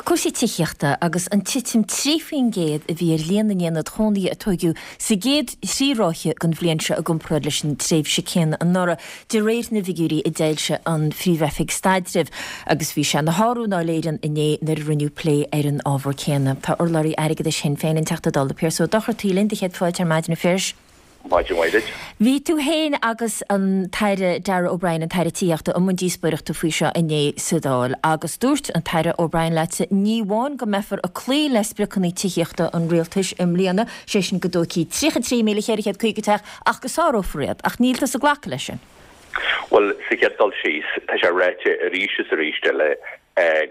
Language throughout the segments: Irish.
Cúrsaí tithíochta agus an titim 3% a bhí ar líon na n-aonad chónaithe a tóigeadh sa gcéad thrí ráithe den bhliain seo i gcomparáid leis an tréimhse céanna anuraidh, de réir na bhfigiúirí a d'fhoilsigh an Phríomh-Oifig Staidrimh. Agus bhí sé ina shárú i nDáil Éireann inné nuair a rinneadh plé ar an ábhar céanna. Tá urlabhraí airgeadais Shinn Féin, an Teachta Dála Pearse Ó Dochartaigh linn do chéad fáilte ar maidin a Phiarais. Maidin mhaith duit. Bhí tú féin agus an tAire Darragh O'Brien, an tAire Tithíochta, i mbun díospóireachta faoi seo inné sa Dáil agus dúirt an tAire O'Brien leatsa ní amháin go mbeifear ag cloí le spriocanna tithíochta an Rialtais i mbliana, sé sin go dtógfaí 33,450 teach, ach go sárófar iad. Ach níl tusa ag glacadh leis sin. Bhuel, sa chéad dul síos, tá sé ráite arís is arís eile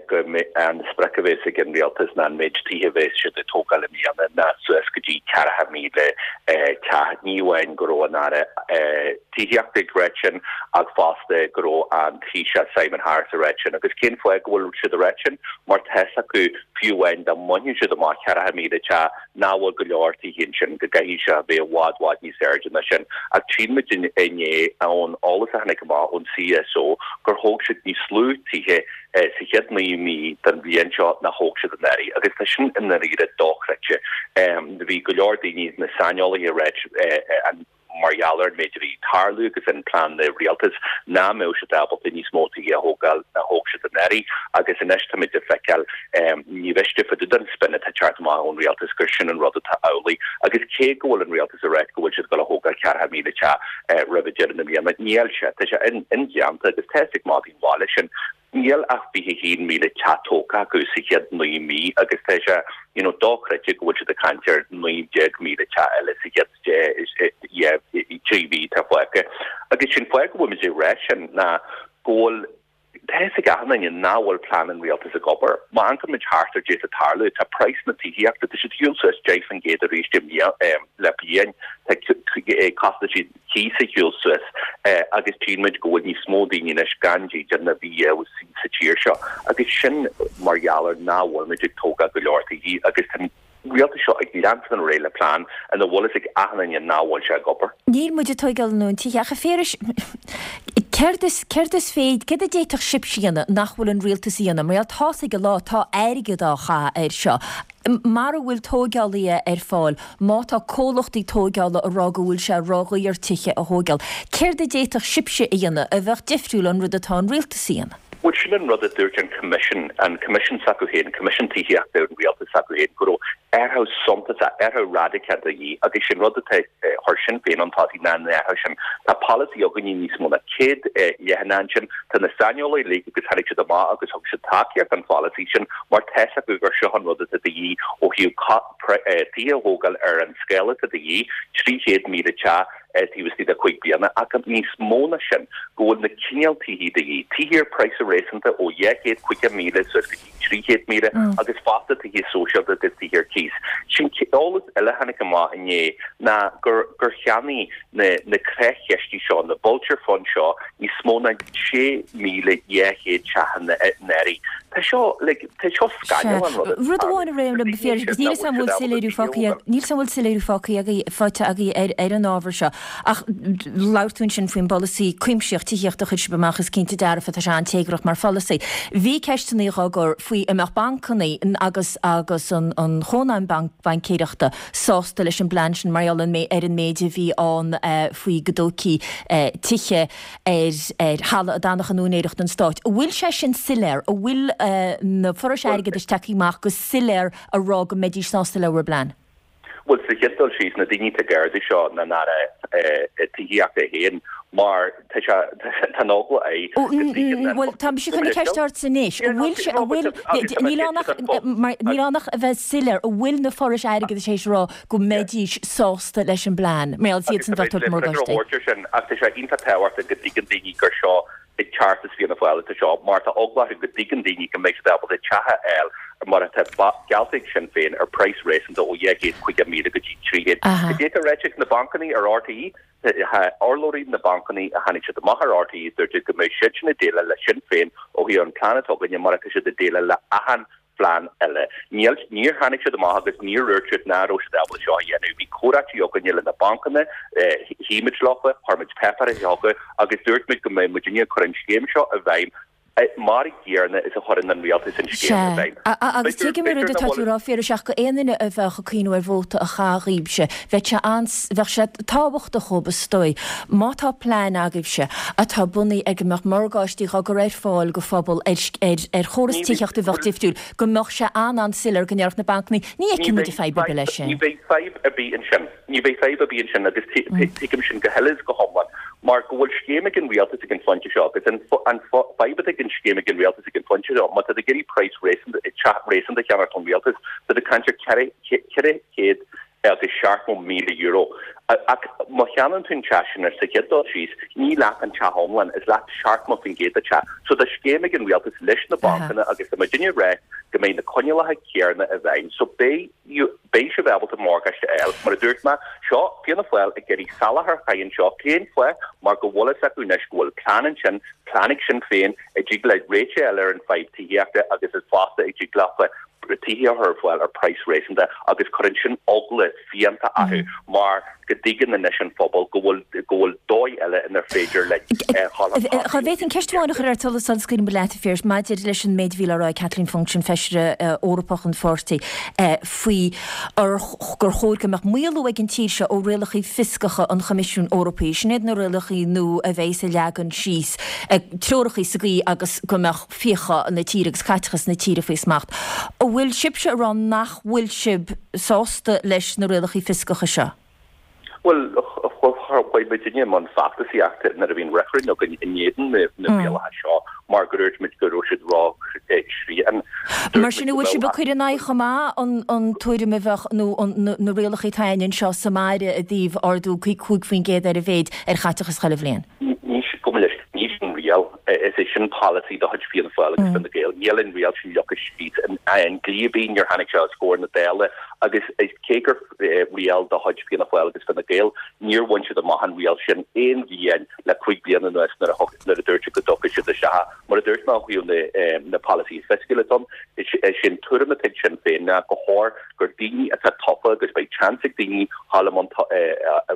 go an sprioc a bhéas ag an rialtas ná an méid tithe a bhéas siad ag tógáil i mbliana ná suas go dtí 40,000 teach. Ní amháin go raibh an Aire Tithíochta ag ráit sin ach fosta go raibh an Taoiseach Simon Harris ag ráit sin. Agus cén fáth go bhfuil siad ag ráit sin? Mar tá's acu, fiú amháin dá mbainfeadh siad amach 40,000 teach, nach bhfuil go leor tithe ansin, go gcaithfidh sé a bheith i bhfad, bhfad níos airde ná sin. Ach tchíonn muid inné ón eolas a tháinig amach ón CSO gur thóg siad níos lú tithe sa chéad 9 mí den bhliain seo ná thóg siad anuraidh. Agus tá sin i ndáiríre dochreidte. Bhí go leor daoine, na saineolaithe ag ráit an mar gheall ar an méid a bhí ag tarlú agus an plean na rialtas nach mbeadh siad ábalta níos mó tithe a thógáil ná thóg siad anuraidh agus anois táimid ag feiceáil ní mhiste fá dtaobh den spin atá ag teacht amach ón rialtas gur sin an rud atá amhlaidh agus cé go bhfuil an rialtas ag ráit go bhfuil siad ag dul a thógáil 40,000 teach roimh deireadh na bliana níl sé tá sé indéanta agus tá fhios ag madaí an bhaile sin. Níl ach 21,000 teach tógtha acu sa chéad 9 mí agus tá sé you know dochreidte go bhfuil siad ag caint ar 19,000 teach eile sa chéad 3 mhí atá fágtha. Agus sin fáth go bhfuil muid ag rá sin ná go bhfuil tá fhios ag achan duine nach bhfuil plean an rialtais ag obair. Má amharcann muid thart ar caidé atá ag tarlú, tá praghas na tithíochta, tá siad ar shiúl suas 10% arís le bliain, tá costaisí cíos ar shiúl suas agus tchíonn muid go bhfuil níos mó daoine anois gan dídean ná bhí riamh sa tír seo agus sin mar gheall ar nach bhfuil muid ag tógáil go leor tithí agus tá an rialtas seo ag leanstan ar aghaidh le plean ina bhfuil fhios ag achan duine nach bhfuil sé ag obair. Níl muid ag tóigeáil a ndóthain tithe ach a Phiarais, céard is, céard is féidir, céard a d'fhéadfadh sibhse a dhéanamh nach bhfuil an rialtas a dhéanamh? Mar gheall tá's ag an lá, tá airgead á chaitheamh air seo. Mara bhfuil tóigeálaithe ar fáil, má tá comhlachtaí tóigeála ag rá go bhfuil sé ródhaor tithe a thóigeáil, céard a d'fhéadfadh sibhse a dhéanamh a bheadh difriúil ón rud atá an rialtas a dhéanamh? Bhuel, sin an rud a dúirt an Coimisiún, an Coimisiún s'acu féin, Coimisiún Tithíochta an Rialtais s'acu féin, go raibh athrú suntasach, athrú raidiceach de dhíth agus sin rud atá, chuir Sinn Féin chun tosaigh ná an athrú sin. Tá polasaí againne níos mó ná 100 leathanach ansin, tá na saineolaithe uilig agus tháinig siad amach agus thug siad tacaíocht don pholasaí sin mar tá fhios acu gur seo an rud atá de dhíth ó thaobh tithe a thógáil ar an scála atá de dhíth, 300,000 teach taobh istigh de chúig bliana ach níos mó ná sin, go bhfuil na cineál tithí de dhíth, tithe ar praghas réasúnta ó 250,000 suas go dtí 300,000 agus fosta tithe sóisialta agus tithe ar cíos. Sin eolas eile a tháinig amach inné ná gur gur cheannaigh na na creach-chistí seo, na vulture funds seo, níos mó ná 6,200 teach anuraidh. Tá seo, like, tá seo scannalach an rud atá Rud amháin a raibh liom a Phiarais, agus níl 'fhios a'm an bhfuil soiléiriú fágtha, níl 'fhios a'm an bhfuil soiléiriú fágtha agaibh, faighte agaibh ar, ar an ábhar seo. Ach labhair tú ansin faoin bpolasaí cuimsitheach tithíochta a chuir sibh amach, is cinnte dearfa tá sé an-téagrach mar pholasaí. Bhí ceisteanna á gcur faoi an mbeadh bancanna agus, agus an, an Chónaidhm Baincéireachta sásta leis an bplean sin mar gheall ar an méid a bhí ann faoi go dtógfaí tithe ar ar thalamh a d'fhanfadh in úinéireacht an stáit. An bhfuil sé sin soiléir? An bhfuil na forais airgeadais tagtha amach go soiléir a rá go mbeidís sásta le bhur bplean? Bhuel, sa chéad dul síos, na daoine atá ag ardú seo ná an Aire Tithíochta é féin mar tá sé, tá an eagla air go dtuigeann an. Bhuel, tá mise chun na ceist ort anois. An bhfuil sé, an bhfuil, níl ann ach, níl ann ach a bheith soiléir, an bhfuil na forais airgeadais théis a rá go mbeidís sásta leis an bplean, mar gheall is iadsan a bheadh ag tabhairt morgáistí. Sin, ach tá sé iontach tábhachtach go dtuigeann daoine gur seo ag teacht as Fianna Fáil atá seo, mar tá eagla orthu go dtuigeann daoine go mbeidh siad ábalta teach a fháil mar atá geallta ag Sinn Féin ar praghas réasúnta ó 250,000 go dtí 300. Cad é atá ráite ag na bancanna ar RTÉ? Tá urlabhraí na bancanna a tháinig siad amach ar RTÉ dúirt siad go mbeidh siadsan ag déileáil le Sinn Féin ó thaobh an plean atá againne mar atá siad ag déileáil le achan phlean eile. Níl, níor tháinig siad amach agus níor dhúirt siad ná raibh siad ábalta seo a dhéanamh. Bhí comhráití againne le na bancanna, shuigh muid leofa, chuir muid páipéirí chucu agus dúirt muid go mbeidh muidinne ag cur an scéim seo i bhfeidhm. Mar a gcéanna is a chuireann an rialtas an scéim i Sea. bhfeidhm. Agus B'fhéidir, tuigim an b'fhéidir rud nach atá tú bhfuil. a rá, Phiarais, ach go aon duine a bheadh ag cuimhniú ar vóta a chaitheamh dhaoibhse, bheadh sé an, bheadh sé tábhachtach dhóibh, is dóigh, má tá plean agaibhse atá bunaithe ar go mbeadh morgáistí dhá gcur ar fáil go phobal ar, ar, ar chóras Ní bheidh, tithíochta a bheadh bhuel, difriúil, go mbeadh sé an-an-soiléir go ndéarfadh na bancannaí, ní ní fheiceann muid bheidh fadhb ar bith leis fadhb, ní sin. bheidh fadhb ar bith ansin. Ní bheidh fadhb ar bith ansin agus tuigim sin go huile is go hiomlán mar go bhfuil scéim ag an rialtas ag an phointe seo agus an fadhb atá ag an scéim ag an rialtas ag an phointe seo, má tá tú ag iarraidh praghas réasúnta, teach réasúnta a cheannacht ón rialtas, tá tú ag caint ar €470,000. Ach má cheannaíonn tú an teach sin ar sa chéad dul síos, ní leat an teach iomlán, is leat 70% den teach. So tá scéim ag an rialtas leis na bancanna agus tá muidinne ag rá go mbeidh na coinníollacha céanna i bhfeidhm. So beidh. Beidh sibh ábalta morgáiste a fháil. Mar a dúirt mé, seo Fianna Fáil ag iarraidh salachar a chaitheamh anseo. Cén fáth? Mar go bhfuil fhios acu anois go bhfuil plean ansin, plean ag Sinn Féin, a dtig le réiteach a fháil ar an fadhb tithíochta agus is fosta a dtig leofa tithe a chur ar fáil ar praghas réasúnta agus cuireann sin eagla fiánta orthu mar go dtuigeann anois an phobal go bhfuil go bhfuil dóigh eile inar féidir linn dhul chun Dá tosaigh. bhféadfainn ceist amháin a chur ort sula scaoilimid leat, a Phiarais, maidir leis an méid a bhí le rá ag Kathleen Funchion, Feisire Eorpach an pháirtí, faoi gur chóir go mbeadh maolú ag an tír seo ó rialacha fioscacha an Choimisiúin Eorpaigh. Sin iad na rialacha nua a bheas ag leagan síos treoracha sa gcaoi agus go mbeadh fiacha na tíre agus caiteachas na tíre faoi smacht. An bhfuil sibhse ag rá nach bhfuil sibh sásta leis na rialacha fioscacha seo? Bhuel, chuaigh muidinne i mbun feachtasaíochta nuair a bhí an reifreann againn in éadan na rialacha seo mar gur dúirt muid go raibh siad ró-shrian. Mar sin, an bhfuil sibh ag cur in aghaidh chomh maith an tuairim a bheadh, nó na rialacha atá againn anseo sa mbaile i dtaobh ardú 5% ar a mhéid ar chaiteachas chuile bhliain? Ní, gabh mo leithscéal, ní sin riail. Is é sin polasaí de chuid Fianna Fáil agus Fine Gael. Níl an riail sin leagtha síos i ndlí ar bith, níor tháinig sé os comhair na Dála agus cé gur riail de chuid Fianna Fáil agus Fine Gael, níor bhain siad amach an riail sin aon bhliain le 5 bliana anuas nuair a nuair a dúirt siad go dtiocfadh siad isteach. Mar a dúirt mé ó thaobh na polasaithe fisciúla ann, is é an tuairim atá ag Sinn Féin ná gur chóir gur daoine atá tofa agus beidh seans ag daoine dhul i mbun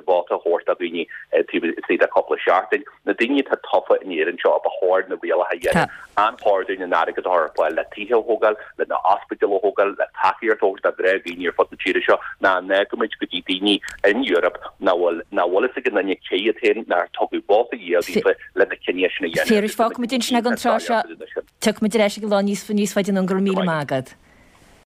vóta a thabhairt do dhaoine taobh istigh de chúpla seachtain. Na daoine atá tofa in Éirinn seo a ba chóir na rialacha a dhéanamh. An chóir dúinn an airgead a chur ar fáil le tithe a thógáil, le na ospidéil a thógáil, le tacaíocht a thabhairt do ghnáthdhaoine ar fud na tíre seo, ná an fhágfaimid go dtí daoine in Europe nach bhfuil nach bhfuil fhios ag aon duine cé hiad féin, nár tugadh vóta riamh daofa le na cinntí sin a dhéanamh Phiarais, fágfaimid ansin ag an tráth seo. Tiocfaimid ar ais ag an lá níos níos faide anonn. Go raibh míle maith agat.